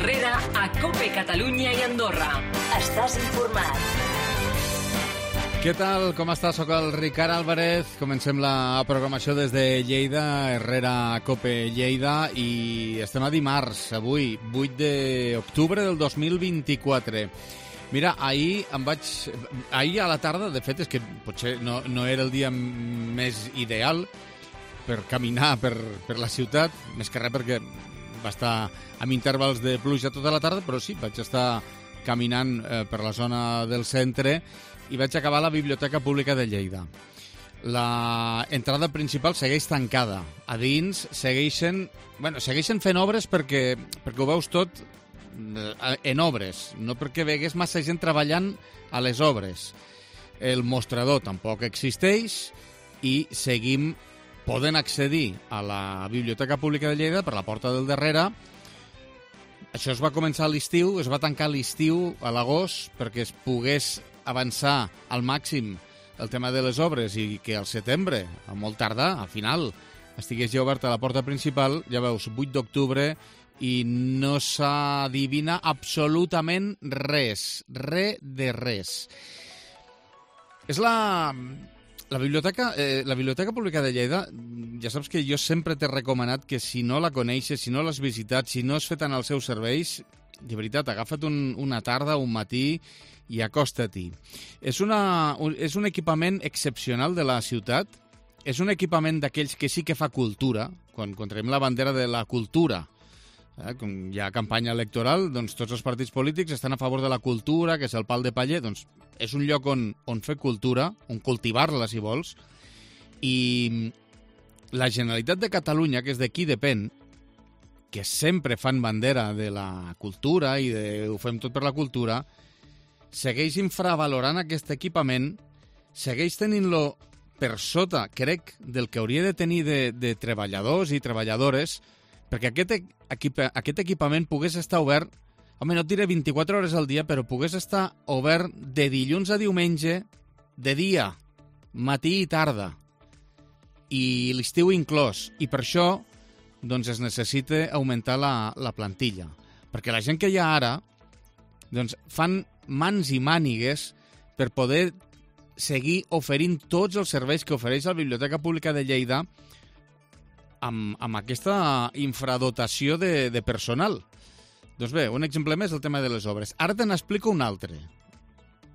Herrera a COPE Catalunya i Andorra. Estàs informat. Què tal? Com està? Soc el Ricard Álvarez. Comencem la programació des de Lleida, Herrera a COPE Lleida, i estem a dimarts, avui, 8 d'octubre del 2024. Mira, ahir a la tarda, de fet, és que potser no era el dia més ideal per caminar per la ciutat, més que res perquè va estar amb intervals de pluja tota la tarda, però sí, vaig estar caminant per la zona del centre i vaig acabar a la Biblioteca Pública de Lleida. La entrada principal segueix tancada. A dins segueixen fent obres perquè ho veus tot en obres, no perquè vegués massa gent treballant a les obres. El mostrador tampoc existeix i seguim podent accedir a la Biblioteca Pública de Lleida per la porta del darrere. Això es va començar a l'estiu, es va tancar a l'estiu, a l'agost, perquè es pogués avançar al màxim el tema de les obres i que al setembre, a molt tardar, al final, estigués ja oberta la porta principal. Ja veus, 8 d'octubre, i no s'adivina absolutament res, res de res. És la Biblioteca Pública de Lleida, ja saps que jo sempre t'he recomanat que si no la coneixes, si no l'has visitat, si no has fet en els seus serveis, de veritat, agafa't una tarda, un matí i acosta-t'hi. És un equipament excepcional de la ciutat, és un equipament d'aquells que sí que fa cultura, quan traiem la bandera de la cultura. Com hi ha campanya electoral, doncs tots els partits polítics estan a favor de la cultura, que és el pal de paller, doncs és un lloc on fer cultura, on cultivar-la, si vols, i la Generalitat de Catalunya, que és de qui depèn, que sempre fan bandera de la cultura i ho fem tot per la cultura, segueix infravalorant aquest equipament, segueix tenint-lo per sota, crec, del que hauria de tenir de treballadors i treballadores, perquè aquest equipament pogués estar obert, home, no et diré 24 hores al dia, però pogués estar obert de dilluns a diumenge, de dia, matí i tarda, i l'estiu inclòs. I per això doncs es necessita augmentar la plantilla, perquè la gent que hi ha ara doncs fan mans i mànigues per poder seguir oferint tots els serveis que ofereix la Biblioteca Pública de Lleida amb aquesta infradotació de personal. Doncs bé, un exemple més, el tema de les obres. Ara te n'explico un altre.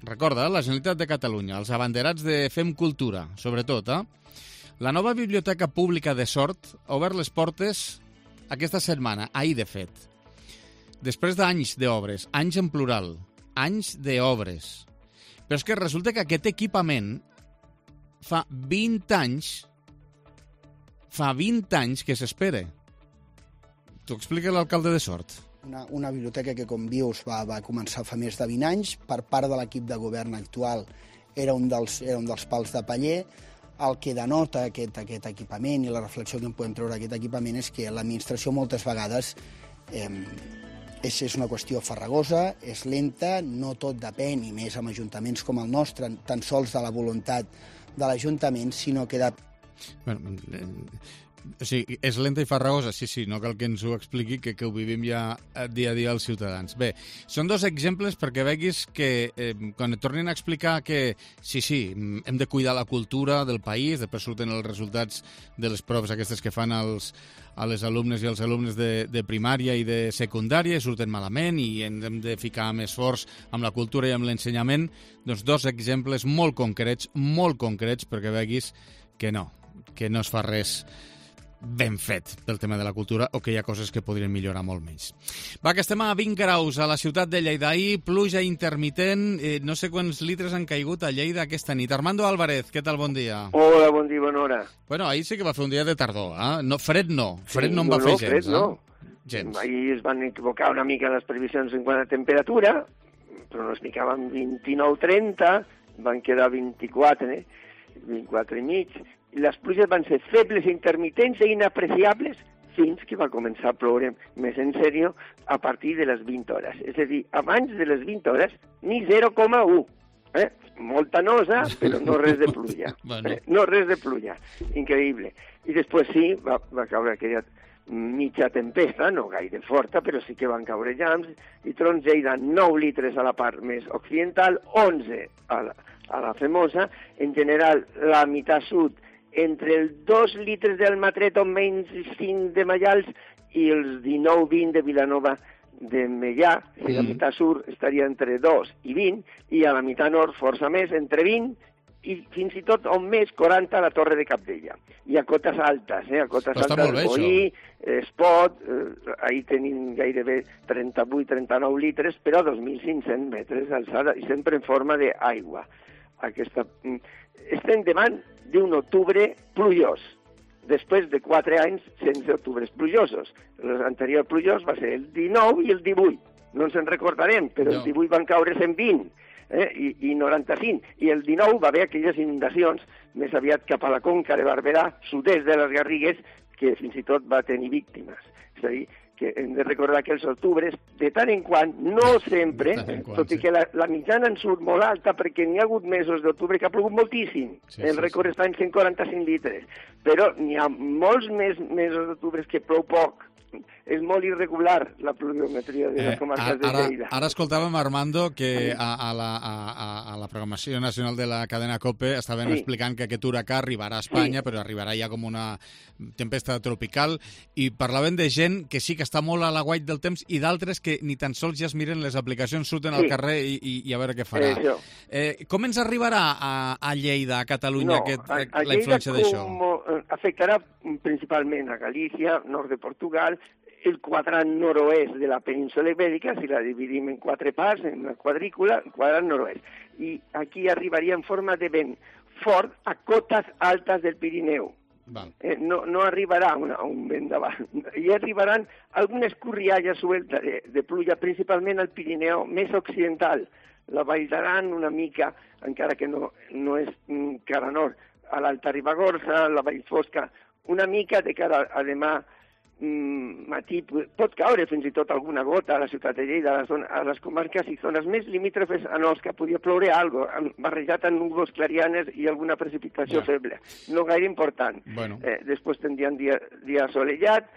Recorda, la Generalitat de Catalunya, els abanderats de Fem Cultura, sobretot, La nova Biblioteca Pública de Sort ha obert les portes aquesta setmana, ahir de fet. Després d'anys d'obres, anys en plural, anys d'obres. Però és que resulta que aquest equipament fa 20 anys que s'espera. T'ho explica l'alcalde de Sort. Una biblioteca que, com dius, va començar fa més de 20 anys. Per part de l'equip de govern actual era un dels pals de paller. El que denota aquest equipament i la reflexió que en podem treure d'aquest equipament és que l'administració moltes vegades és una qüestió farragosa, és lenta, no tot depèn, i més amb ajuntaments com el nostre, tan sols de la voluntat de l'Ajuntament, sinó que Bueno, o sigui, és lenta i farragosa, sí, no cal que ens ho expliqui, que ho vivim ja dia a dia els ciutadans. Bé, són dos exemples perquè veguis que quan et tornin a explicar que sí, hem de cuidar la cultura del país, després surten els resultats de les proves aquestes que fan a les alumnes i als alumnes de primària i de secundària, i surten malament i hem de ficar més esforç amb la cultura i amb l'ensenyament, doncs dos exemples molt concrets perquè veguis que no es fa res ben fet pel tema de la cultura, o que hi ha coses que podrien millorar molt més. Va, que estem a 20 graus a la ciutat de Lleida. Ahir, pluja intermitent, no sé quants litres han caigut a Lleida aquesta nit. Armando Álvarez, què tal? Bon dia. Hola, bon dia, bona hora. Bueno, ahir sí que va fer un dia de tardor, no, fred no en va fer gens. Fred no. Gens. Ahir es van equivocar una mica les previsions en quant a temperatura, pronosticaven 29-30, van quedar 24 i mig. Les pluges van ser febles, intermitents i inapreciables fins que va començar a ploure més en sèrio a partir de les 20 hores. És a dir, abans de les 20 hores, ni 0,1. Molta nosa, però no res de pluja. Bueno. No res de pluja. Increïble. I després sí, va caure aquella mitja tempesta, no gaire forta, però sí que van caure llamps i trons. Lleida, 9 litres a la part més occidental, 11 a la Femosa. En general, la meitat sud, entre els 2 litres del Matret o menys 5 de Maials i els 19-20 de Vilanova de Meià. La meitat sud estaria entre 2 i 20, i a la meitat nord força més, entre 20 i fins i tot on més 40 a la Torre de Cabdella. I a cotes altes, a cotes altes, Boí, Espot, ahir tenim gairebé 38-39 litres, però a 2.500 metres d'alçada, i sempre en forma d'aigua. Estem davant d'un octubre plujós, després de 4 anys sense octubres plujosos. L'anterior plujós va ser el 19 i el 18. No ens en recordarem, però el 18 van caure 120. I 95, i el 19 va haver aquelles inundacions més aviat cap a la conca de Barberà, sud-est de les Garrigues, que fins i tot va tenir víctimes. És a dir, que hem de recordar que els octubres, de tant en quant, no sempre, tot i que la mitjana en surt molt alta, perquè n'hi ha hagut mesos d'octubre que ha plogut moltíssim. El rècord està en 145 litres, però n'hi ha molts més mesos d'octubre que plou poc. És molt irregular la pluviometria de les comarques de Lleida. Ara escoltàvem, Armando, que a la programació nacional de la cadena COPE estaven explicant que aquest huracà arribarà a Espanya, però arribarà ja com una tempesta tropical, i parlaven de gent que sí que està molt a l'aguait del temps i d'altres que ni tan sols ja es miren les aplicacions, surten al carrer i a veure què farà. Com ens arribarà a Lleida, a Catalunya, la influència d'això? Afectarà principalment a Galícia, nord de Portugal, el quadrant nord-oest de la península Ibèrica, si la dividim en 4 parts, en una quadrícula, el quadrant nord-oest. I aquí arribaria en forma de vent fort a cotes altes del Pirineu. No arribarà un vent davant. I arribaran algunes corrialles sueltes de pluja, principalment al Pirineu més occidental. La Vall d'Aran una mica, encara que no és cara nord, a l'Alta Ribagorça, la Vall Fosca, una mica de cara a demà matí. Pot caure fins i tot alguna gota a la ciutat de Lleida, a les comarques i zones més limítrofes en els que podia ploure algo, barrejat amb núvols clarianes i alguna precipitació feble. No gaire important. Després tindrien dia assolellat,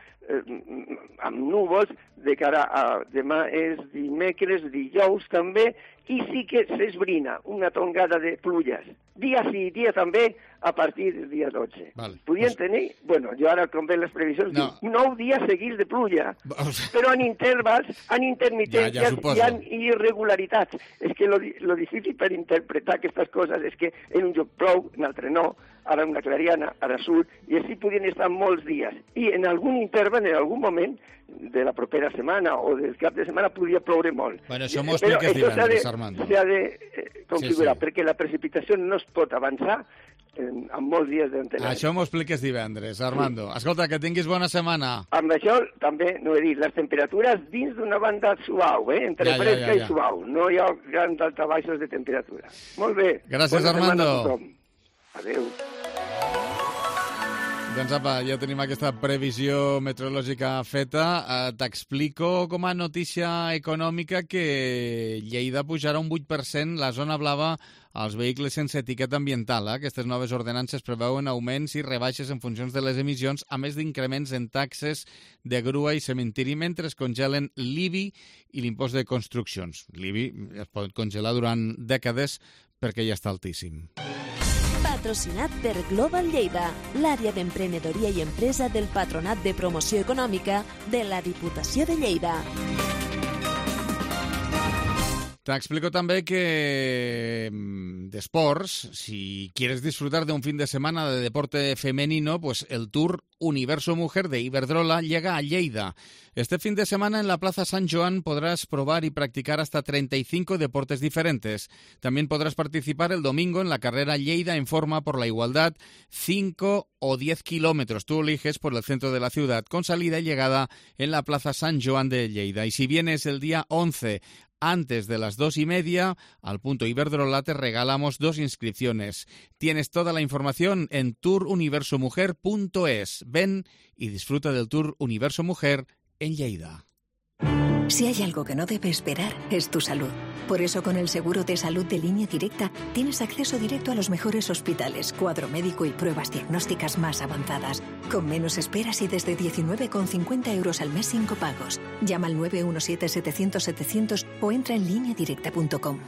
amb núvols, de cara a demà és dimecres, dijous també, i sí que s'esbrina una tongada de pluges. Dia sí, dia també, a partir del dia 12. Podien tenir, jo ara, com veig les previsions, 9 dies seguits de pluja, però en intervals, en intermitències hi ha irregularitats. És que lo difícil per interpretar aquestes coses és que en un lloc plou, en altre no, ara una clariana, ara surt, i així podien estar molts dies. I en algun interval, en algun moment de la propera setmana o del cap de setmana podria ploure molt. Això m'ho expliques divendres, Armando. S'ha de configurar, perquè la precipitació no es pot avançar amb molts dies d'antena. Això m'ho expliques divendres, Armando. Escolta, que tinguis bona setmana. Amb això també, no he dit, les temperatures dins d'una banda suau, entre fresca i suau. No hi ha grans altabaixos de temperatura. Molt bé. Gràcies, Armando. Adéu. Doncs apa, ja tenim aquesta previsió meteorològica feta. T'explico com a notícia econòmica que Lleida pujarà un 8% la zona blava als vehicles sense etiqueta ambiental. Aquestes noves ordenances preveuen augments i rebaixes en funcions de les emissions, a més d'increments en taxes de grua i cementiri, mentre es congelen l'IBI i l'impost de construccions. L'IBI es pot congelar durant dècades perquè ja està altíssim. Patrocinat per Global Lleida, l'àrea d'emprenedoria i empresa del Patronat de Promoció Econòmica de la Diputació de Lleida. Te explico también que de sports, si quieres disfrutar de un fin de semana de deporte femenino, pues el Tour Universo Mujer de Iberdrola llega a Lleida. Este fin de semana en la Plaza San Joan podrás probar y practicar hasta 35 deportes diferentes. También podrás participar el domingo en la carrera Lleida en Forma por la Igualdad, 5 o 10 kilómetros. Tú eliges por el centro de la ciudad, con salida y llegada en la Plaza San Joan de Lleida. Y si vienes el día 11 antes de las 2:30, al punto Iberdrola te regalamos 2 inscripciones. Tienes toda la información en touruniversomujer.es. Ven y disfruta del Tour Universo Mujer en Lleida. Si hay algo que no debe esperar, es tu salud. Por eso, con el seguro de salud de Línea Directa, tienes acceso directo a los mejores hospitales, cuadro médico y pruebas diagnósticas más avanzadas. Con menos esperas y desde 19,50 € al mes sin copagos. Llama al 917-700-700 o entra en lineadirecta.com.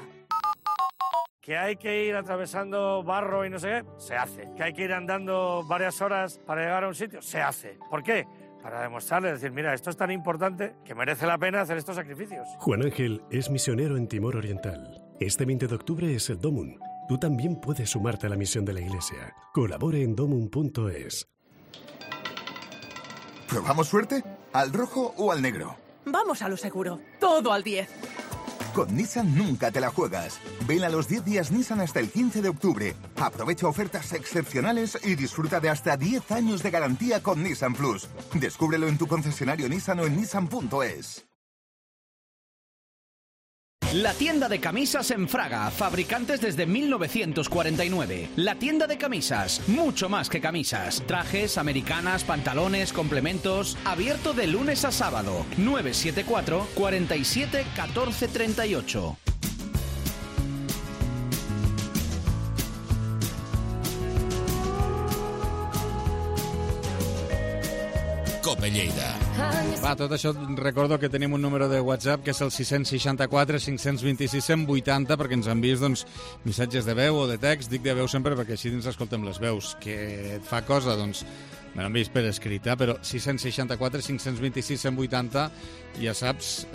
Que hay que ir atravesando barro y no sé qué, se hace. Que hay que ir andando varias horas para llegar a un sitio, se hace. ¿Por qué? Para demostrarle, decir, mira, esto es tan importante que merece la pena hacer estos sacrificios. Juan Ángel es misionero en Timor Oriental. Este 20 de octubre es el Domun. Tú también puedes sumarte a la misión de la Iglesia. Colabore en domun.es. ¿Probamos suerte? ¿Al rojo o al negro? Vamos a lo seguro. Todo al 10. Con Nissan nunca te la juegas. Ven a los 10 días Nissan hasta el 15 de octubre. Aprovecha ofertas excepcionales y disfruta de hasta 10 años de garantía con Nissan Plus. Descúbrelo en tu concesionario Nissan o en nissan.es. La tienda de camisas en Fraga, fabricantes desde 1949. La tienda de camisas, mucho más que camisas. Trajes, americanas, pantalones, complementos. Abierto de lunes a sábado. 974 47 14 38. Cope Lleida. Va, tot això recordo que tenim un número de WhatsApp que és el 664 526 180 perquè ens envies doncs, missatges de veu o de text. Dic de veu sempre perquè així ens escoltem les veus. Que et fa cosa, doncs me l'envies per escrit, però 664 526 180 ja saps,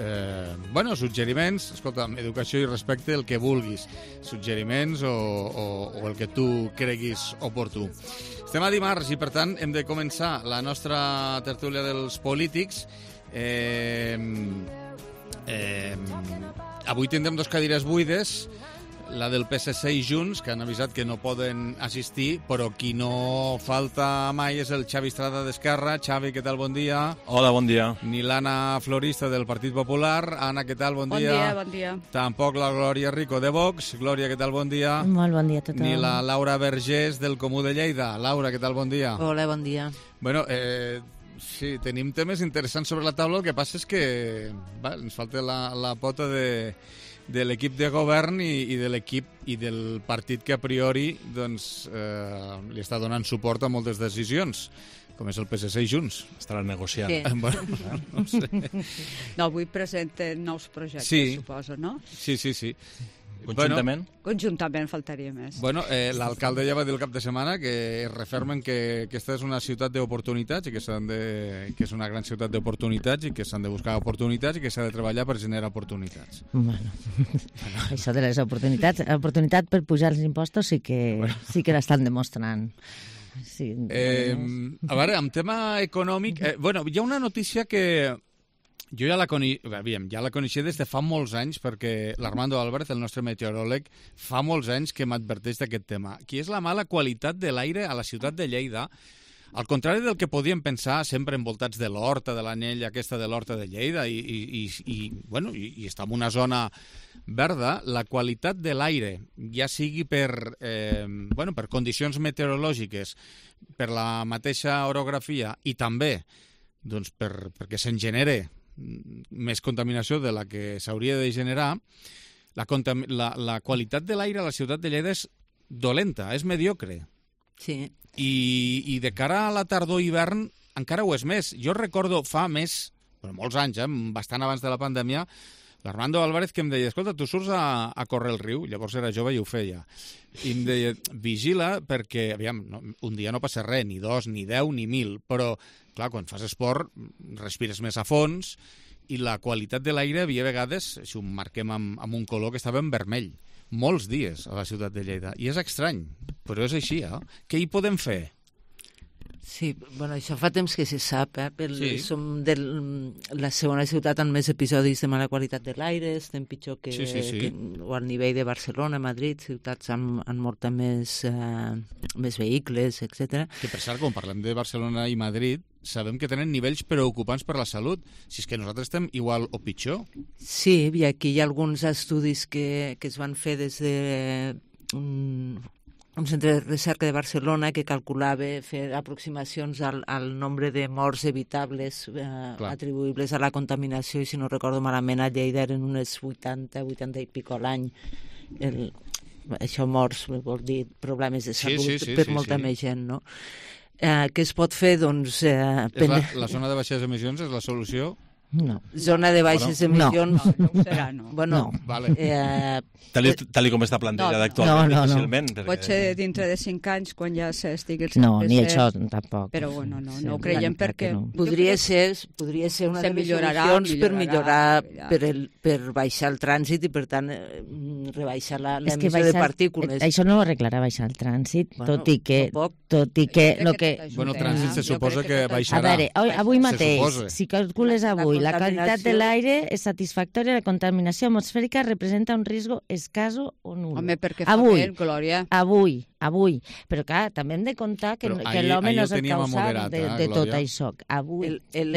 bueno, suggeriments, escolta, educació i respecte, el que vulguis, suggeriments o el que tu creguis oportú. Estem a dimarts i, per tant, hem de començar la nostra tertúlia dels polítics. Avui tindrem dos cadires buides, la del PSC i Junts, que han avisat que no poden assistir, però qui no falta mai és el Xavi Estrada d'Esquerra. Xavi, què tal? Bon dia. Hola, bon dia. Ni l'Anna Florista del Partit Popular. Anna, què tal? Bon dia. Bon dia, bon dia. Tampoc la Glòria Rico de Vox. Glòria, què tal? Bon dia. Molt bon dia a tothom. Ni la Laura Vergés del Comú de Lleida. Laura, què tal? Bon dia. Hola, bon dia. Bueno, sí, tenim temes interessants sobre la taula. El que passa és que ens falta la pota de l'equip de govern i de l'equip i del partit que a priori doncs, li està donant suport a moltes decisions, com és el PSC i Junts. Estaran negociant. Sí. Bueno, no sé. No, avui presenten nous projectes, sí. Suposo, no? Sí. Conjuntament? Conjuntament, faltaria més. Bueno, l'alcalde ja va dir el cap de setmana que es refermen que aquesta és una ciutat d'oportunitats i que és una gran ciutat d'oportunitats i que s'han de buscar oportunitats i que s'ha de treballar per generar oportunitats. Bueno, això de les oportunitats, oportunitat per pujar els impostos sí que l'estan demostrant. Sí, a veure, amb tema econòmic, hi ha una notícia que jo ja la coneixia des de fa molts anys, perquè l'Armando Álvarez, el nostre meteoròleg, fa molts anys que m'adverteix d'aquest tema, que és la mala qualitat de l'aire a la ciutat de Lleida. Al contrari del que podíem pensar, sempre envoltats de l'horta, de l'anell aquesta de l'horta de Lleida, i està en una zona verda, la qualitat de l'aire, ja sigui per condicions meteorològiques, per la mateixa orografia i també doncs, perquè se'n genere més contaminació de la que s'hauria de generar, la qualitat de l'aire a la ciutat de Lleida és dolenta, és mediocre. Sí. I de cara a la tardor-hivern encara ho és més. Jo recordo fa molts anys, bastant abans de la pandèmia, l'Armando Álvarez que em deia, escolta, tu surts a córrer el riu, llavors era jove i ho feia, i em deia, vigila perquè, aviam, un dia no passa res, ni 2, ni 10, ni 1.000, però, clar, quan fas esport respires més a fons i la qualitat de l'aire havia vegades, si ho marquem amb un color, que estava en vermell, molts dies a la ciutat de Lleida, i és estrany, però és així, Què hi podem fer? Sí, bueno, això fa temps que se sap, Sí. Som la segona ciutat amb més episodis de mala qualitat de l'aire, estem pitjor que o al nivell de Barcelona, Madrid, ciutats amb molta més vehicles, etc. Que per cert, quan parlem de Barcelona i Madrid, sabem que tenen nivells preocupants per la salut. Si és que nosaltres estem igual o pitjor. Sí, i aquí hi ha alguns estudis que es van fer des de un centre de recerca de Barcelona que calculava fer aproximacions al nombre de morts evitables atribuïbles a la contaminació, i si no recordo malament a Lleida eren unes 80 i pico a l'any. Això morts vol dir problemes de salut per molta més gent, no? Què es pot fer? Doncs... La zona de baixes emissions és la solució? No. Zona de baixes emissions... No ho serà, no. Bueno, vale. Tal com està plantejada actualment, difícilment. Pot ser dintre de 5 anys, quan ja s'estigui el 100%. No, ni això tampoc. Però bueno, no ho creiem perquè... Podria ser una de les solucions per millorar, per baixar el trànsit i, per tant, rebaixar l'emissió de partícules. Això no ho arreglarà baixar el trànsit, tot i que... Bueno, el trànsit se suposa que baixarà. A veure, avui mateix, si calcules avui, la qualitat de l'aire és satisfactòria, la contaminació atmosfèrica representa un risc escaso o nul. Home, perquè fa bé, Glòria. Avui. Però clar, també hem de comptar que l'home no és el causal de tot això. Avui. Per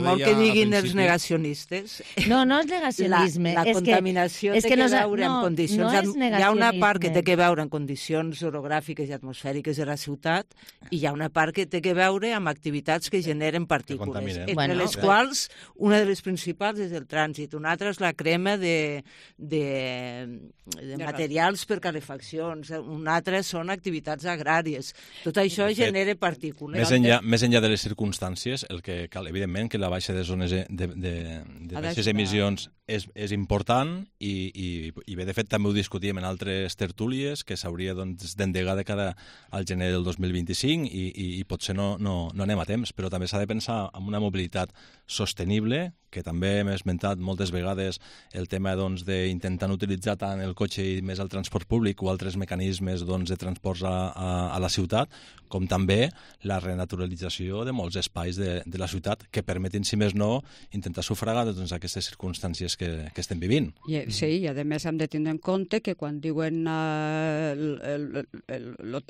molt que diguin els negacionistes... No és negacionisme. La contaminació té que veure en condicions... Hi ha una part que té que veure en condicions orogràfiques i atmosfèriques de la ciutat i hi ha una part que té que veure amb activitats que generen partícules, entre les quals una de les principals és el trànsit, una altra és la crema de materials per calefaccions, una altra són activitats agràries. Tot això genera partícules. Més enllà de les circumstàncies, el que cal, evidentment, que la baixa de zones de baixes emissions és important i bé, de fet, també ho discutíem en altres tertúlies, que s'hauria d'endegar de cara al gener del 2025 i potser no anem a temps, però també s'ha de pensar en una mobilitat sostenible, que també hem esmentat moltes vegades el tema d'intentar utilitzar tant el cotxe i més el transport públic o altres mecanismes de transports a la ciutat, com també la renaturalització de molts espais de la ciutat que permetin, si més no, intentar sufragar aquestes circumstàncies que estem vivint. Sí, i a més hem de tindre en compte que quan diuen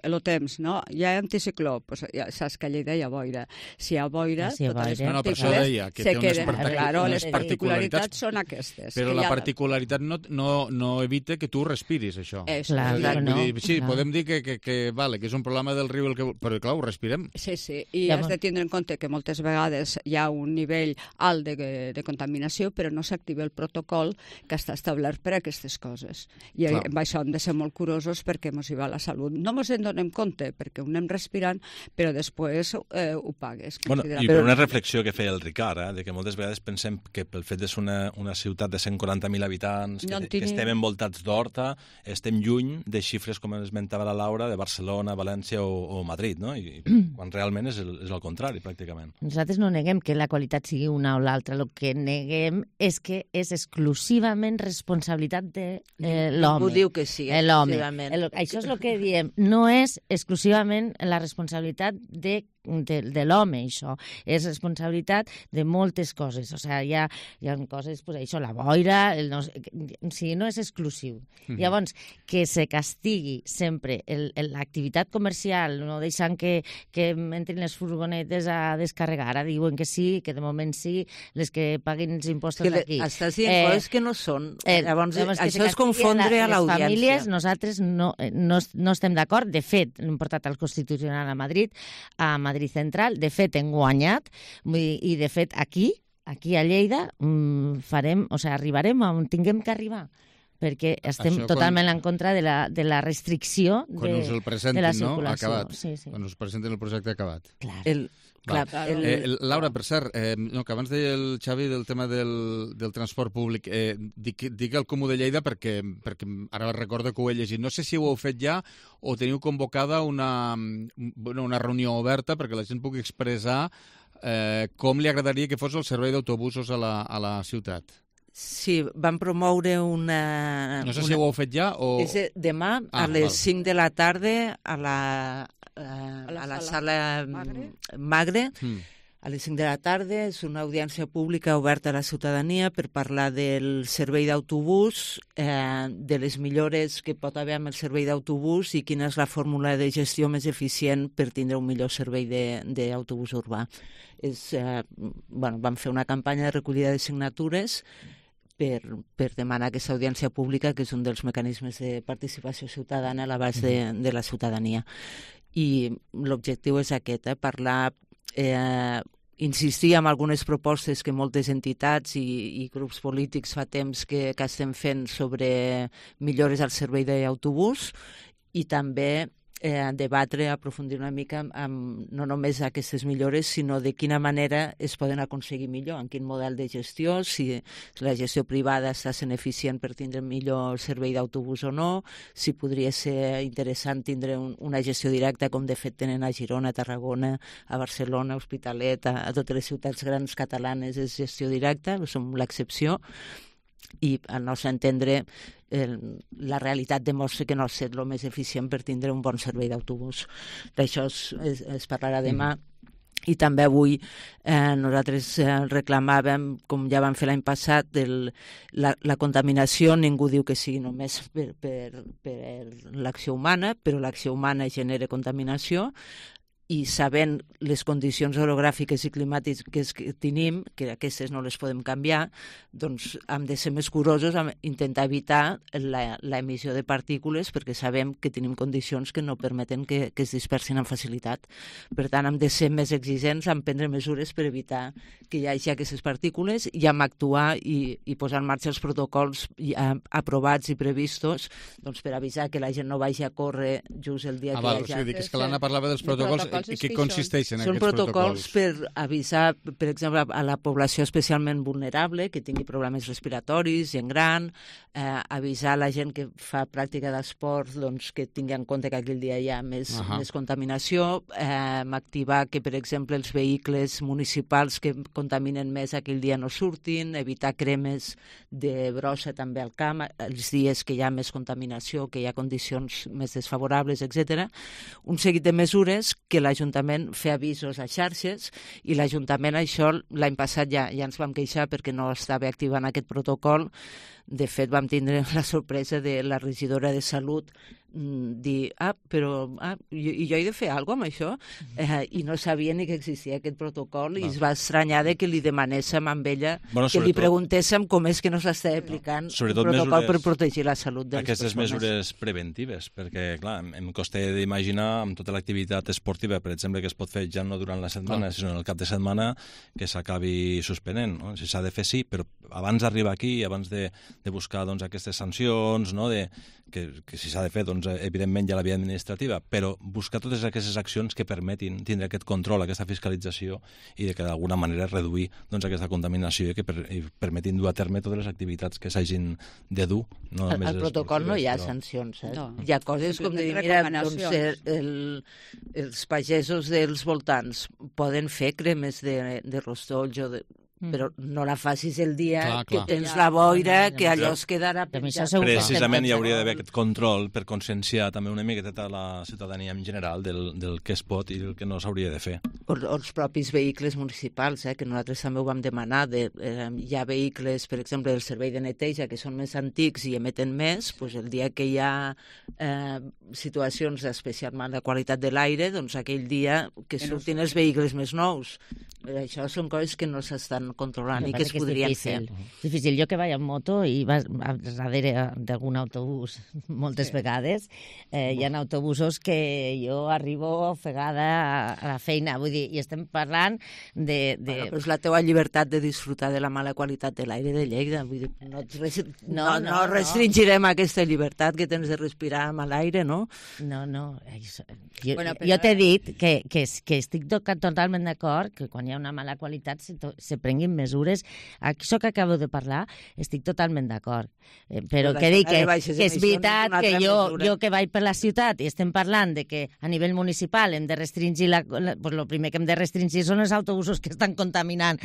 el temps, no? Hi ha anticicló, ja saps que a Lleida hi ha boira. Si hi ha boira, totes les partícules se queden. Les particularitats són aquestes. Però la particularitat no evita que tu respiris, això. Sí, podem dir que és un problema del riu, però clar, ho respirem. Sí, i has de tindre en compte que moltes vegades hi ha un nivell alt de contaminació, però no s'activa el protocol que està establert per a aquestes coses. I amb això hem de ser molt curosos perquè ens hi va la salut. No ens en donem compte, perquè ho anem respirant, però després ho pagues. I per una reflexió que feia el Ricard, de que moltes vegades pensem que pel fet de ser una ciutat de 140.000 habitants, que estem envoltats d'horta, estem lluny de xifres, com esmentava la Laura, de Barcelona, València o Madrid, no? I quan realment és el contrari, pràcticament. Nosaltres no neguem que la qualitat sigui una o l'altra, el que neguem és que és exclusivament responsabilitat de l'home. Ho diu que sí, exclusivament. Això és el que diem, no és exclusivament la responsabilitat de l'home, això. És responsabilitat de moltes coses. O sigui, hi ha coses, això, la boira, no és exclusiu. Llavors, que se castigui sempre l'activitat comercial, no deixant que entrin les furgonetes a descarregar. Ara diuen que sí, que de moment sí, les que paguin els impostos aquí. Estàs dient coses que no són. Llavors, això és confondre a l'audiència. Les famílies, nosaltres no estem d'acord. De fet, l'hem portat al Constitucional a Madrid Central, de fet hem guanyat i de fet aquí a Lleida arribarem on tinguem que arribar, perquè estem totalment en contra de la restricció de la circulació. Quan us presenten el projecte acabat. Laura, per cert, que abans deia el Xavi del tema del transport públic, dic el Comú de Lleida perquè ara recordo que ho he llegit. No sé si ho heu fet ja o teniu convocada una reunió oberta perquè la gent pugui expressar com li agradaria que fos el servei d'autobusos a la ciutat. Sí, vam promoure una... No sé si ho heu fet ja o... És demà a les 5 de la tarda a la sala Magre. A les 5 de la tarda és una audiència pública oberta a la ciutadania per parlar del servei d'autobús, de les millores que pot haver amb el servei d'autobús i quina és la fórmula de gestió més eficient per tindre un millor servei d'autobús urbà. Vam fer una campanya de recollida de signatures. per demanar aquesta audiència pública, que és un dels mecanismes de participació ciutadana a l'abast de la ciutadania. I l'objectiu és aquest, parlar, insistir en algunes propostes que moltes entitats i grups polítics fa temps que estem fent sobre millores al servei d'autobús i també debatre, aprofundir una mica amb no només aquestes millores, sinó de quina manera es poden aconseguir millor, en quin model de gestió, si la gestió privada està sent eficient per tindre millor servei d'autobús o no, si podria ser interessant tindre una gestió directa, com de fet tenen a Girona, a Tarragona, a Barcelona, a Hospitalet, a totes les ciutats grans catalanes és gestió directa, som l'excepció, i al nostre entendre la realitat demostra que no ha estat el més eficient per tindre un bon servei d'autobús. D'això es parlarà demà. I també avui nosaltres reclamàvem, com ja vam fer l'any passat, la contaminació. Ningú diu que sigui només per l'acció humana, però l'acció humana genera contaminació, i sabent les condicions orogràfiques i climàtiques que tenim, que aquestes no les podem canviar, doncs hem de ser més curosos a intentar evitar l'emissió de partícules, perquè sabem que tenim condicions que no permeten que es dispersin amb facilitat. Per tant, hem de ser més exigents, hem de prendre mesures per evitar que hi hagi aquestes partícules, i hem d'actuar i posar en marxa els protocols aprovats i previstos per avisar que la gent no vagi a córrer just el dia que hi hagi. És que l'Anna parlava dels protocols. I què consisteixen aquests protocols? Són protocols per avisar, per exemple, a la població especialment vulnerable, que tingui problemes respiratoris, gent gran, avisar la gent que fa pràctica d'esport que tingui en compte que aquell dia hi ha més contaminació, activar que, per exemple, els vehicles municipals que contaminen més aquell dia no surtin, evitar cremes de brossa també al camp, els dies que hi ha més contaminació, que hi ha condicions més desfavorables, etc. Un seguit de mesures que l'Ajuntament fer avisos a xarxes, i l'Ajuntament això l'any passat ja ens vam queixar perquè no estava activant aquest protocol. De fet, vam tindre la sorpresa de la regidora de Salut dir, però jo he de fer alguna cosa amb això? I no sabia ni que existia aquest protocol, i es va estranyar de que li demanéssim amb ella, que li preguntéssim com és que no s'està aplicant un protocol per protegir la salut de les persones. Aquestes mesures preventives, perquè, clar, em costa d'imaginar amb tota l'activitat esportiva, per exemple, que es pot fer ja no durant la setmana, sinó en el cap de setmana, que s'acabi suspenent. Si s'ha de fer, sí, però abans d'arribar aquí, abans de buscar aquestes sancions, que si s'ha de fer, evidentment, hi ha la via administrativa, però buscar totes aquestes accions que permetin tindre aquest control, aquesta fiscalització, i que d'alguna manera reduir aquesta contaminació i que permetin dur a terme totes les activitats que s'hagin de dur. Al protocol no hi ha sancions. Hi ha coses com de dir, mira, els pagesos dels voltants poden fer cremes de rostolls o de... però no la facis el dia que tens la boira, que allò es quedarà penjat. Precisament hi hauria d'haver aquest control per conscienciar també una miqueta la ciutadania en general del que es pot i el que no s'hauria de fer. O els propis vehicles municipals, que nosaltres també ho vam demanar. Hi ha vehicles, per exemple, del servei de neteja, que són més antics i emeten més, doncs el dia que hi ha situacions d'especial mala qualitat de l'aire, doncs aquell dia que surtin els vehicles més nous. Això són coses que no s'estan controlant i que es podrien fer. És difícil. Jo que vaig en moto i vas darrere d'algun autobús moltes vegades, hi ha autobusos que jo arribo ofegada a la feina, vull dir, i estem parlant de... Però és la teua llibertat de disfrutar de la mala qualitat de l'aire de Lleida, vull dir, no restringirem aquesta llibertat que tens de respirar amb l'aire, no? No. Jo t'he dit que estic totalment d'acord que quan hi ha una mala qualitat se prenguin mesures. Això que acabo de parlar, estic totalment d'acord. Però que dic que és veritat que jo que vaig per la ciutat i estem parlant de que a nivell municipal hem de restringir, el primer que hem de restringir són els autobusos que estan contaminant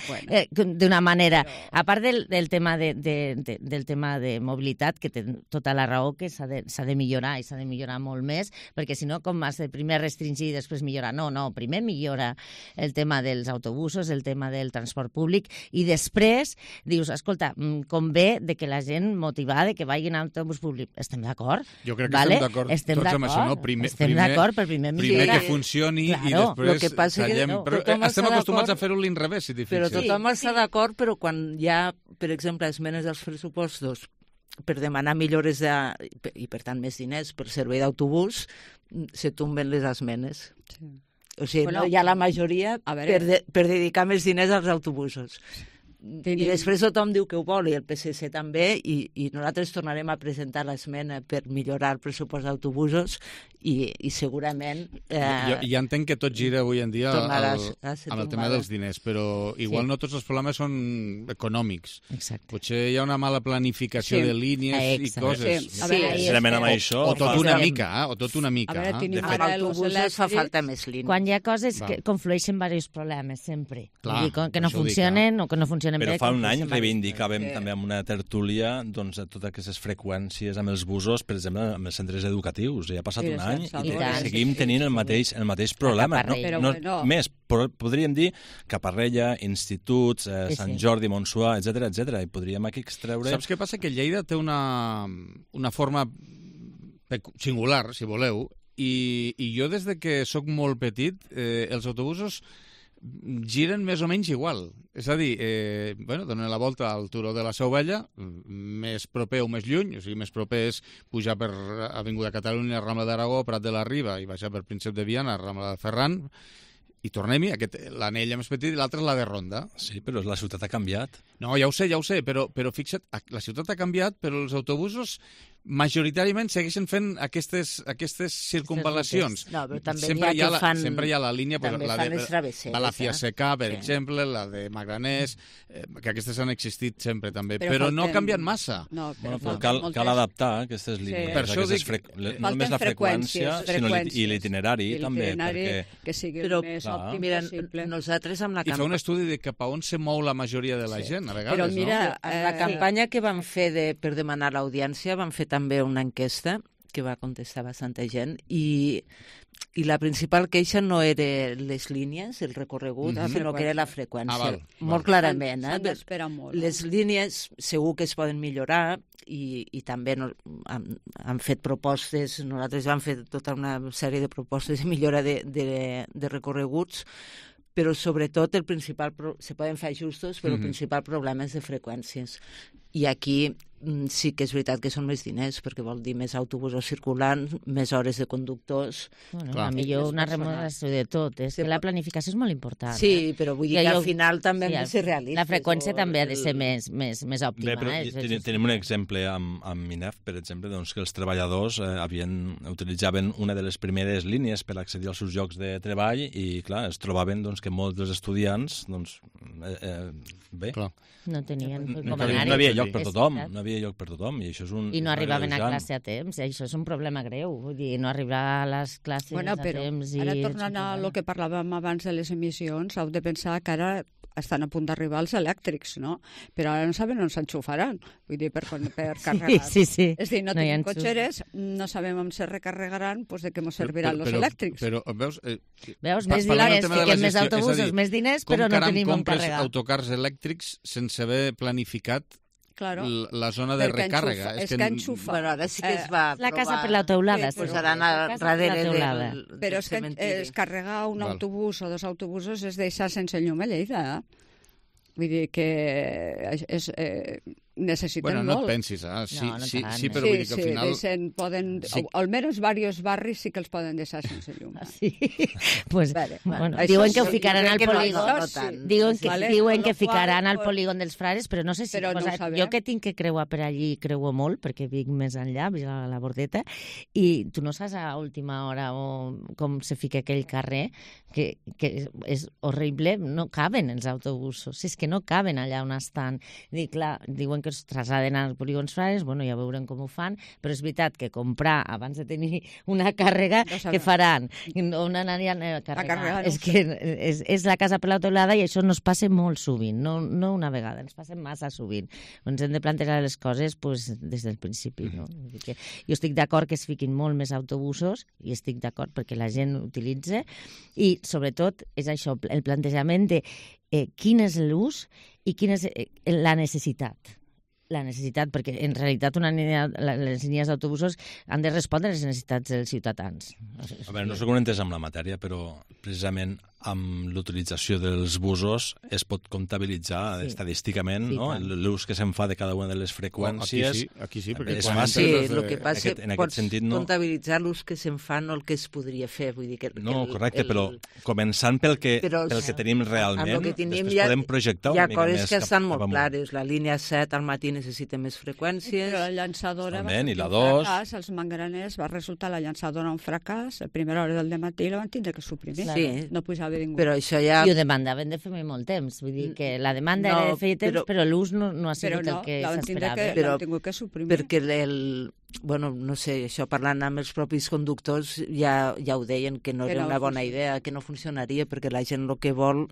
d'una manera. A part del tema de mobilitat, que té tota la raó, que s'ha de millorar i s'ha de millorar molt més, perquè si no, com has de primer restringir i després millorar? No, primer millora el tema dels autobusos, autobusos, el tema del transport públic, i després dius, escolta, convé de que la gent motivada que vagin a autobús públic. Estem d'acord? Jo crec que estem d'acord tots amb això, no? Estem d'acord per primer que funcioni i després tallem. Però estem acostumats a fer-ho a l'inrevés, si t'hi fixes. Però tothom està d'acord, però quan hi ha, per exemple, esmenes dels pressupostos per demanar millores i, per tant, més diners per servei d'autobús, se tomben les esmenes. O sigui, no hi ha la majoria per dedicar més diners als autobusos. I després tothom diu que ho vol, i el PSC també, i nosaltres tornarem a presentar l'esmena per millorar el pressupost d'autobusos i segurament... Ja entenc que tot gira avui en dia amb el tema dels diners, però igual no tots els problemes són econòmics. Potser hi ha una mala planificació de línies i coses. Sincerament amb això... O tot una mica, o tot una mica. Amb autobusos fa falta més línies. Quan hi ha coses que conflueixen diversos problemes, sempre. Que no funcionen o que no funcionen. Però fa un any reivindicàvem també amb una tertúlia totes aquestes freqüències amb els busos, per exemple, amb els centres educatius. Ja ha passat un any i seguim tenint el mateix problema. Més, podríem dir Caparrella, instituts, Sant Jordi, Montsuà, etc. I podríem aquí extreure... Saps què passa? Que Lleida té una forma singular, si voleu, i jo des de que sóc molt petit, els autobusos giren més o menys igual. És a dir, donen la volta al turó de la Seu Vella, més proper o més lluny, o sigui, més proper és pujar per Avinguda Catalunya, Rambla d'Aragó, Prat de la Riba, i baixar per Príncep de Viana, Rambla de Ferran, i tornem-hi, l'anella més petit i l'altra és la de Ronda. Sí, però la ciutat ha canviat. No, ja ho sé, però fixa't, la ciutat ha canviat, però els autobusos majoritàriament segueixen fent aquestes circunvalacions. No, però també sempre hi ha la línia, també la fan les travesseres. Balàfia Secà, per exemple, la de Magraners, que aquestes han existit sempre també, però no canvien massa. Però cal adaptar aquestes línies. Per això dic, no només la freqüència, sinó l'itinerari també. Que sigui el més òptim possible. Nosaltres amb la I fer un estudi de cap a on se mou la majoria de la gent, a vegades, no? Però mira, la campanya que vam fer per demanar l'audiència, vam fer també una enquesta que va contestar bastanta gent i la principal queixa no era les línies, el recorregut, sinó que era la freqüència. Molt clarament. S'han d'esperar molt. Les línies segur que es poden millorar i també han fet propostes, nosaltres vam fer tota una sèrie de propostes de millora de recorreguts, però sobretot se poden fer ajustos, però el principal problema és de freqüències. I aquí sí que és veritat que són més diners, perquè vol dir més autobusos circulant, més hores de conductors... A millor una remodelació de tot. La planificació és molt important. Sí, però vull dir que al final també hem de ser realistes. La freqüència també ha de ser més òptima. Bé, però tenim un exemple amb Minef, per exemple, que els treballadors utilitzaven una de les primeres línies per accedir als seus llocs de treball i, clar, es trobaven que molts dels estudiants, bé... No tenien com anar-hi. No havia lloc per tothom, i això és un... I no arribaven a classe a temps, això és un problema greu, vull dir, no arribar a les classes a temps... Ara tornant a lo que parlàvem abans de les emissions, heu de pensar que ara estan a punt d'arribar els elèctrics, no? Però ara no saben on s'enxufaran, vull dir, per carregar. Sí. És a dir, no tenim cotxeres, no sabem on se recarregaran, doncs de què ens serviran els elèctrics. Però, veus, més diners, fiquem més autobusos, més diners, però no tenim on carregar. Com autocars elèctrics sense haver planificat la zona de recàrrega. És que enxufa. Bueno, ara sí que es va la casa per la teulada. Posaran darrere del però és que carregar un autobús o dos autobusos és deixar sense llum a Lleida. Vull dir que necessiten molt. No et pensis, sí, però vull dir que al final... Poden, almenys diversos barris sí que els poden deixar sense llum. Sí, pues, diuen que ho ficaran al polígon. Diuen que ficaran al polígon dels Frares, però no sé si... Jo que tinc que creuar per allí, creuo molt, perquè vinc més enllà, vinc a la Bordeta, i tu no saps a última hora com se fica aquell carrer, que és horrible, no caben els autobusos, és que no caben allà on estan. Clar, diuen diuen que es traslladen als polígons frares, bueno, ja veurem com ho fan, però és veritat que comprar abans de tenir una càrrega, què faran? On aniran a carregar? És que és la casa per l'autoblada i això no es passa molt sovint, no una vegada, ens passa massa sovint. Ens hem de plantejar les coses des del principi. No? Jo estic d'acord que es fiquin molt més autobusos i estic d'acord perquè la gent utilitza i sobretot és això, el plantejament de quin és l'ús i quina és la necessitat. La necessitat, perquè en realitat les línies d'autobusos han de respondre a les necessitats dels ciutadans. A veure, no sé com entès amb la matèria, però precisament amb l'utilització dels busos es pot comptabilitzar estadísticament l'ús que se'n fa de cada una de les freqüències. Aquí sí, perquè és fàcil. El que passa és que pots comptabilitzar l'ús que se'n fa, no el que es podria fer. Vull dir que no, correcte, però començant pel que tenim realment, després podem projectar una mica més. Hi ha coses que estan molt clares. La línia 7 al matí necessita més freqüències. Però la llançadora i la 2. Els manganers va resultar la llançadora un fracàs. A primera hora del dematí la van tindre que suprimir. No pujava ningú. Però això ja... I ho demandaven de fer molt temps. Vull dir que la demanda era de fer temps, però l'ús no ha sigut el que s'esperava. L'han tingut que suprimir. Perquè bueno, no sé, això parlant amb els propis conductors ja ho deien, que no era una bona idea, que no funcionaria, perquè la gent el que vol...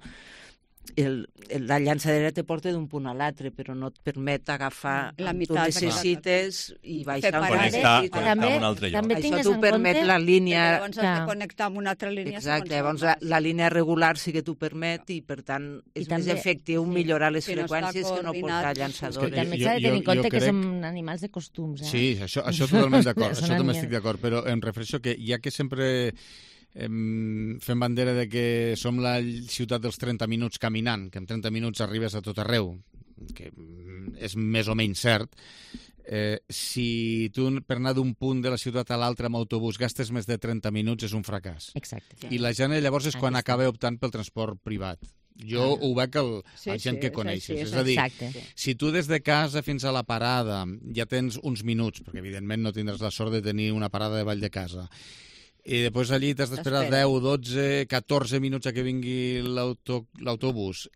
La llançadera te porta d'un punt a l'altre, però no et permet agafar la tu necessites i baixar connectar amb un altre lloc. Això t'ho permet la línia... Llavors has de connectar amb una altra línia. Exacte, llavors la línia regular sí que t'ho permet i per tant és més efectiu millorar les freqüències que no portar llançadores. També s'ha de tenir en compte que som animals de costums. Sí, això totalment d'acord, això també estic d'acord, però em refereixo que ja que sempre... fem bandera de que som la ciutat dels 30 minuts caminant, que en 30 minuts arribes a tot arreu, que és més o menys cert, si tu per anar d'un punt de la ciutat a l'altre amb autobús gastes més de 30 minuts és un fracàs. Exacte. I la gent llavors és quan acaba optant pel transport privat. Jo ho veig la gent que coneixes. És a dir, si tu des de casa fins a la parada ja tens uns minuts, perquè evidentment no tindràs la sort de tenir una parada de Vall de Casa, i després allí t'has d'esperar 10, 12, 14 minuts a que vingui l'autobús,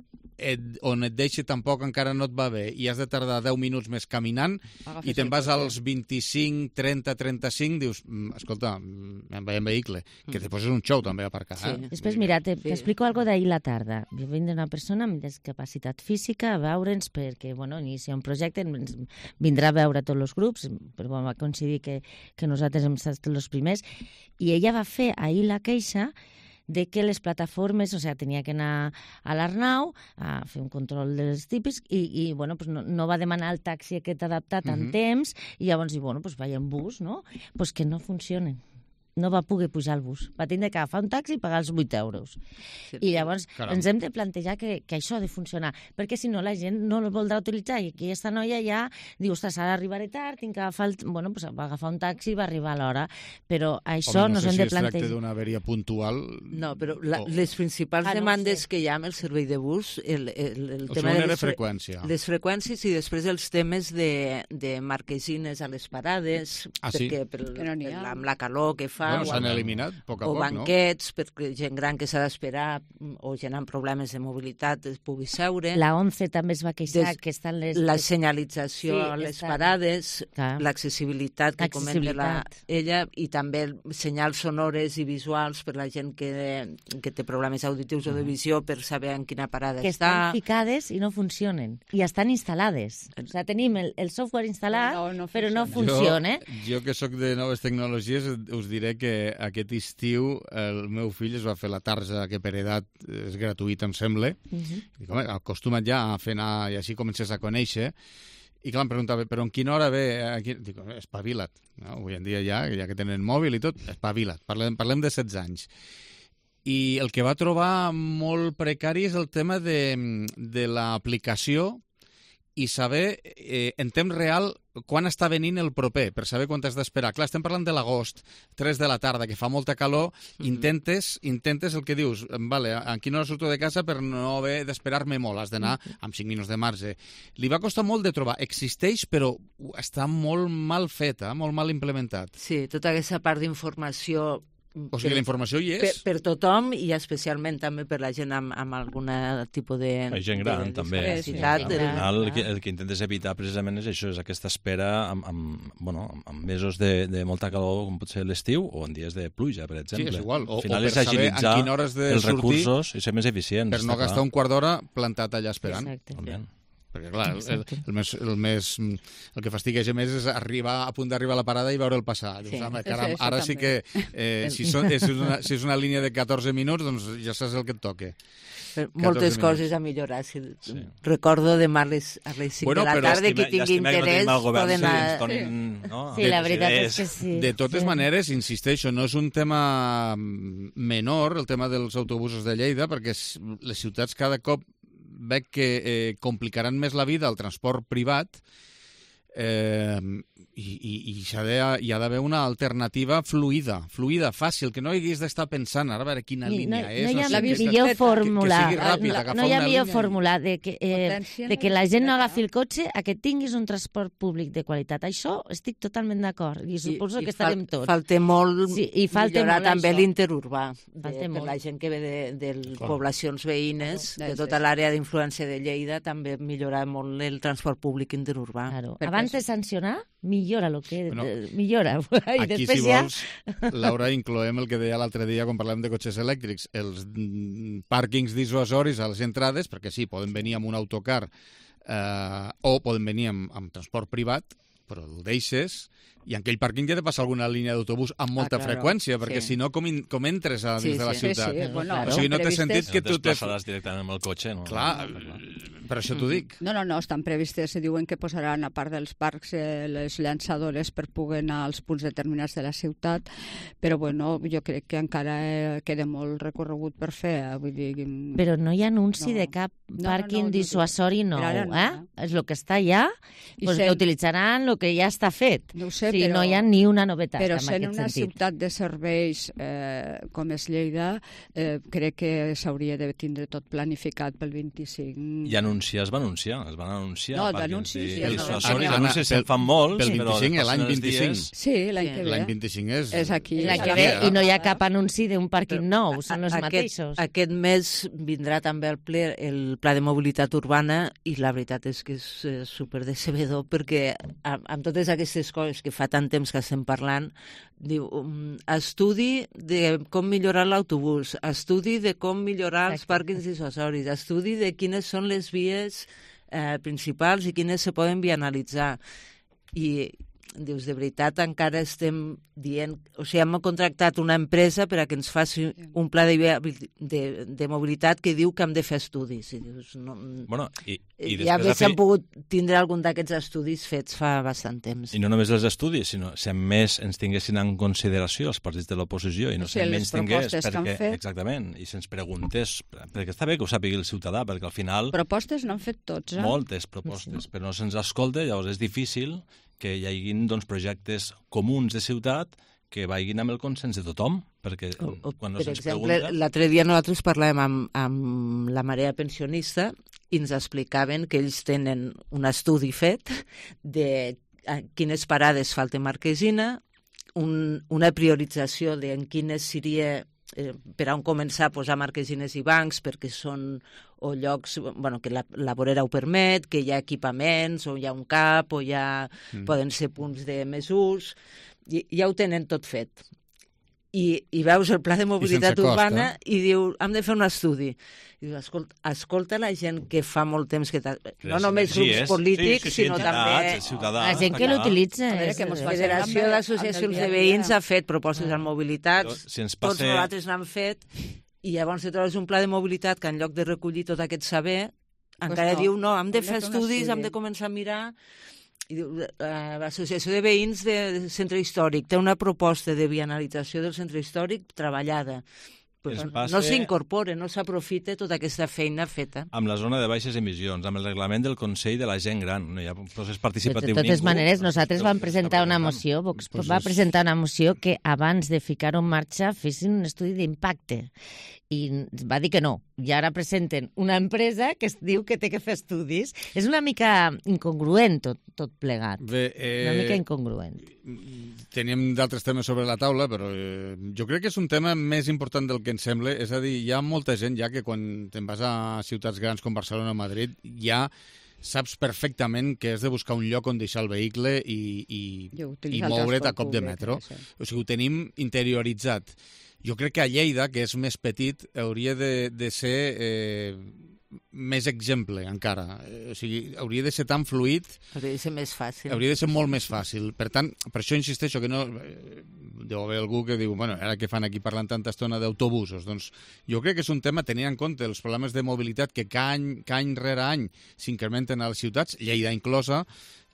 on et deixi tampoc encara no et va bé i has de tardar 10 minuts més caminant i te'n vas als 25, 30, 35, dius, escolta, em vaig en vehicle, que després és un show també aparcar. Després, mira, t'explico algo d'ahir la tarda. Jo vinc d'una persona amb discapacitat física a veure'ns perquè, bueno, inicia un projecte, ens vindrà a veure tots els grups, però va coincidir que nosaltres hem estat els primers, i ella va fer ahir la queixa de que les plataformes, o sigui, tenia que anar a l'Arnau a fer un control dels típics i bueno, pues no va demanar el taxi aquest adaptat en temps i llavors diu, bueno, pues vaya en bus, no? Pues que no funcionen. No va poder pujar al bus. Va tindre que agafar un taxi i pagar els 8 euros. I llavors ens hem de plantejar que això ha de funcionar, perquè si no la gent no el voldrà utilitzar i aquesta noia ja diu, ostres, ara arribaré tard, tinc que agafar bueno, pues va agafar un taxi i va arribar a l'hora. Però això no hem de plantejar. No sé si es tracta d'una averia puntual... No, però les principals demandes que hi ha amb el servei de bus, el tema de les freqüències i després els temes de marquesines a les parades, perquè amb la calor que fa s'han eliminat a poc, o banquets, perquè gent gran que s'ha d'esperar o gent amb problemes de mobilitat es pugui seure. La 11 també es va queixar que estan la senyalització a les parades, l'accessibilitat que comenta ella i també senyals sonores i visuals per la gent que té problemes auditius o de visió per saber en quina parada està. Que estan ficades i no funcionen. I estan instal·lades. O sigui, tenim el software instal·lat, però no funciona. Jo que sóc de noves tecnologies us diré que aquest estiu el meu fill es va fer la tarja que per edat és gratuïta, em sembla. Dic, home, acostuma't ja a fer anar i així comences a conèixer. I clar, em preguntava, però en quina hora ve? Dic, espavila't. No? Avui en dia ja que tenen mòbil i tot, espavila't. Parlem de 16 anys. I el que va trobar molt precari és el tema de l'aplicació i saber en temps real quan està venint el proper, per saber quan t'has d'esperar. Clar, estem parlant de l'agost, 3 de la tarda, que fa molta calor, intentes el que dius, vale, a quina hora surto de casa per no haver d'esperar-me molt, has d'anar amb 5 minuts de marge. Li va costar molt de trobar. Existeix, però està molt mal feta, molt mal implementat. Sí, tota aquesta part d'informació O sigui, la informació hi és. Per tothom i especialment també per la gent amb algun tipus de... La gent gran, també. Al final, el que intentes evitar precisament és això, és aquesta espera amb mesos de molta calor, com pot ser l'estiu, o en dies de pluja, per exemple. Sí, és igual. Al final és agilitzar els recursos i ser més eficients. Per no gastar un quart d'hora plantat allà esperant. Exacte. Perquè, clar, el que fastigueja més és arribar a punt d'arribar a la parada i veure'l passar. Dius, home, caram, ara sí que si és una línia de 14 minuts, doncs ja saps el que et toca. Moltes coses a millorar. Recordo demà a les 5 de la tarda que tingui interès poden anar... Sí, la veritat és que sí. De totes maneres, insisteixo, no és un tema menor, el tema dels autobusos de Lleida, perquè les ciutats cada cop veig que complicaran més la vida al transport privat i hi ha d'haver una alternativa fluida, fàcil, que no haguis d'estar pensant ara a veure quina línia és. No hi ha millor fórmula, no hi ha millor fórmula de que la gent no agafi el cotxe a que tinguis un transport públic de qualitat. Això estic totalment d'acord i suposo que estarem tots. Falta molt millorar també l'interurbà per la gent que ve de poblacions veïnes, de tota l'àrea d'influència de Lleida, també millorar molt el transport públic interurbà. Abans de sancionar, millora el que... millora. Aquí, si vols, Laura, incloem el que deia l'altre dia quan parlàvem de cotxes elèctrics, els pàrquings dissuasoris a les entrades, perquè sí, poden venir amb un autocar o poden venir amb transport privat, però el deixes, i en aquell pàrquing ja ha de passar alguna línia d'autobús amb molta freqüència, perquè si no, com entres a dins de la ciutat? O sigui, no té sentit que tu... No et desplaçaràs directament amb el cotxe, no? Clar, per això t'ho dic. No, estan previstes, diuen que posaran, a part dels parcs, les llançadores per poder anar als punts determinats de la ciutat, però bueno, jo crec que encara queda molt recorregut per fer. Vull dir... Però no hi ha anunci de cap pàrquing dissuasori nou, eh? És el que està allà, que utilitzaran el que ja està fet. No ho sé, sí, no hi ha ni una novetat en aquest sentit. Però sent una ciutat de serveis com és Lleida, crec que s'hauria de tindre tot planificat pel 25. I anunciar, es van anunciar. No, d'anuncis. Anuncis se'n fan molts, pel 25, l'any 25. Sí, l'any que ve. L'any 25 és aquí. I no hi ha cap anunci d'un pàrquing nou, són els mateixos. Aquest mes vindrà també al ple el Pla de Mobilitat Urbana i la veritat és que és superdecebedor perquè amb totes aquestes coses que fa tant temps que estem parlant, diu, estudi de com millorar l'autobús, estudi de com millorar els pàrquings dissuasoris, estudi de quines són les vies principals i quines se poden vianalitzar. I dius, de veritat encara estem dient... O sigui, hem contractat una empresa per a que ens faci un pla de mobilitat que diu que hem de fer estudis. I dius, no... Bueno, ja s'han pogut tindre algun d'aquests estudis fets fa bastant temps. I no només els estudis, sinó si més ens tinguessin en consideració els partits de l'oposició i no si menys tingués... Exactament, i se'ns preguntés... Perquè està bé que ho sàpiga el ciutadà, perquè al final... Propostes n'han fet tots, eh? Moltes propostes, però no se'ns escolta, llavors és difícil que hi hagi projectes comuns de ciutat que vagin amb el consens de tothom, perquè quan no se'ns pregunta... Per exemple, l'altre dia nosaltres parlàvem amb la Marea Pensionista i ens explicaven que ells tenen un estudi fet de quines parades falta Marquesina, una priorització de en quines seria per on començar a posar marquesines i bancs perquè són o llocs que la vorera ho permet, que hi ha equipaments, o hi ha un CAP, o poden ser punts de més ús, ja ho tenen tot fet. I veus el pla de mobilitat urbana i diu, hem de fer un estudi. I diu, escolta la gent que fa molt temps que... No només grups polítics, sinó també... La gent que l'utilitza. La Federació d'Associacions de Veïns ha fet propostes en mobilitat, tots nosaltres n'han fet, i llavors te trobes un pla de mobilitat que en lloc de recollir tot aquest saber, encara diu, no, hem de fer estudis, hem de començar a mirar... L'Associació de Veïns del Centre Històric té una proposta de vianalització del Centre Històric treballada. No s'incorpora, no s'aprofita tota aquesta feina feta. Amb la zona de baixes emissions, amb el reglament del Consell de la Gent Gran, no hi ha procés participatiu ningú. De totes maneres, nosaltres vam presentar una moció, Vox va presentar una moció que abans de ficar-ho en marxa fessin un estudi d'impacte. I va dir que no. I ara presenten una empresa que es diu que té que fer estudis. És una mica incongruent tot plegat. Una mica incongruent. teníem d'altres temes sobre la taula, però jo crec que és un tema més important del que ens sembla. És a dir, hi ha molta gent ja que quan te'n vas a ciutats grans com Barcelona o Madrid ja saps perfectament que has de buscar un lloc on deixar el vehicle i moure't a cop de metro. O sigui, ho tenim interioritzat. Jo crec que a Lleida, que és més petit, hauria de ser més exemple encara. O sigui, hauria de ser tan fluid... Hauria de ser més fàcil. Hauria de ser molt més fàcil. Per tant, per això insisteixo que no... Deu haver algú que diu, bueno, ara que fan aquí parlant tanta estona d'autobusos? Doncs jo crec que és un tema, tenint en compte els problemes de mobilitat que any rere any s'incrementen a les ciutats, Lleida inclosa,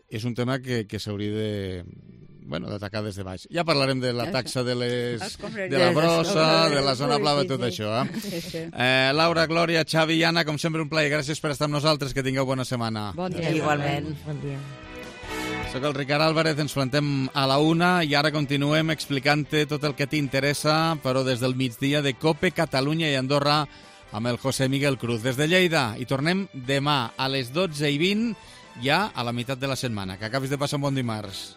és un tema que s'hauria d'atacar des de baix. Ja parlarem de la taxa de la brossa, de la zona blava, tot això. Laura, Glòria, Xavi i Anna, com sempre un plaer. Gràcies per estar amb nosaltres. Que tingueu bona setmana. Bon dia. Igualment. Bon dia. Soc el Ricard Álvarez, ens plantem a la 1 i ara continuem explicant-te tot el que t'interessa, però des del migdia de COPE, Catalunya i Andorra, amb el José Miguel Cruz. Des de Lleida, i tornem demà a les 12:20, ja a la meitat de la setmana. Que acabis de passar un bon dimarts.